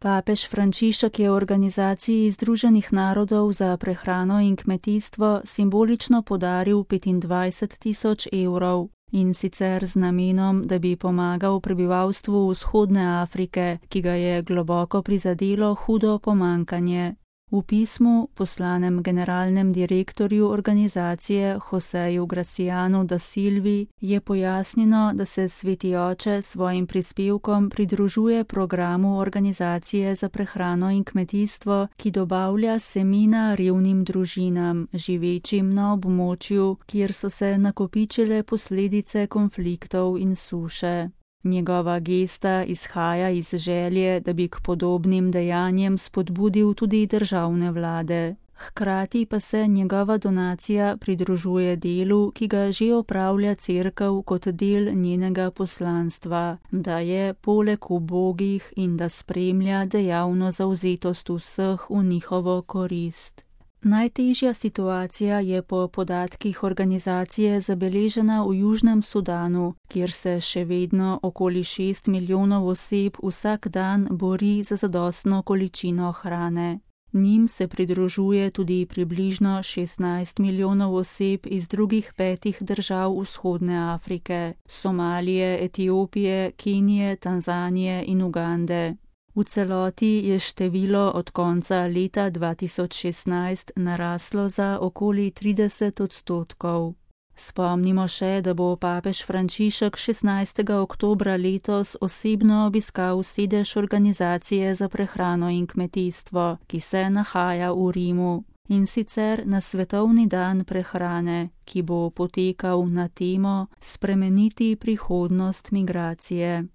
Papež Frančišek je Organizaciji Združenih narodov za prehrano in kmetijstvo simbolično podaril 25.000 evrov, in sicer z namenom, da bi pomagal prebivalstvu vzhodne Afrike, ki ga je globoko prizadelo hudo pomanjkanje. V pismu, poslanem generalnem direktorju organizacije Joseju Gracianu da Silvi, je pojasnjeno, da se Sveti oče svojim prispevkom pridružuje programu Organizacije za prehrano in kmetijstvo, ki dobavlja semena revnim družinam, živečim na območju, kjer so se nakopičile posledice konfliktov in suše. Njegova gesta izhaja iz želje, da bi k podobnim dejanjem spodbudil tudi državne vlade. Hkrati pa se njegova donacija pridružuje delu, ki ga že opravlja Cerkev kot del njenega poslanstva, da je poleg ubogih in da spremlja dejavno zavzetost vseh v njihovo korist. Najtežja situacija je po podatkih organizacije zabeležena v Južnem Sudanu, kjer se še vedno okoli 6 milijonov oseb vsak dan bori za zadostno količino hrane. Njim se pridružuje tudi približno 16 milijonov oseb iz drugih 5 držav vzhodne Afrike: Somalije, Etiopije, Kenije, Tanzanije in Ugande. V celoti je število od konca leta 2016 naraslo za okoli 30%. Spomnimo še, da bo papež Frančišek 16. oktobra letos osebno obiskal sedež Organizacije za prehrano in kmetijstvo, ki se nahaja v Rimu, in sicer na svetovni dan prehrane, ki bo potekal na temo Spremeniti prihodnost migracije.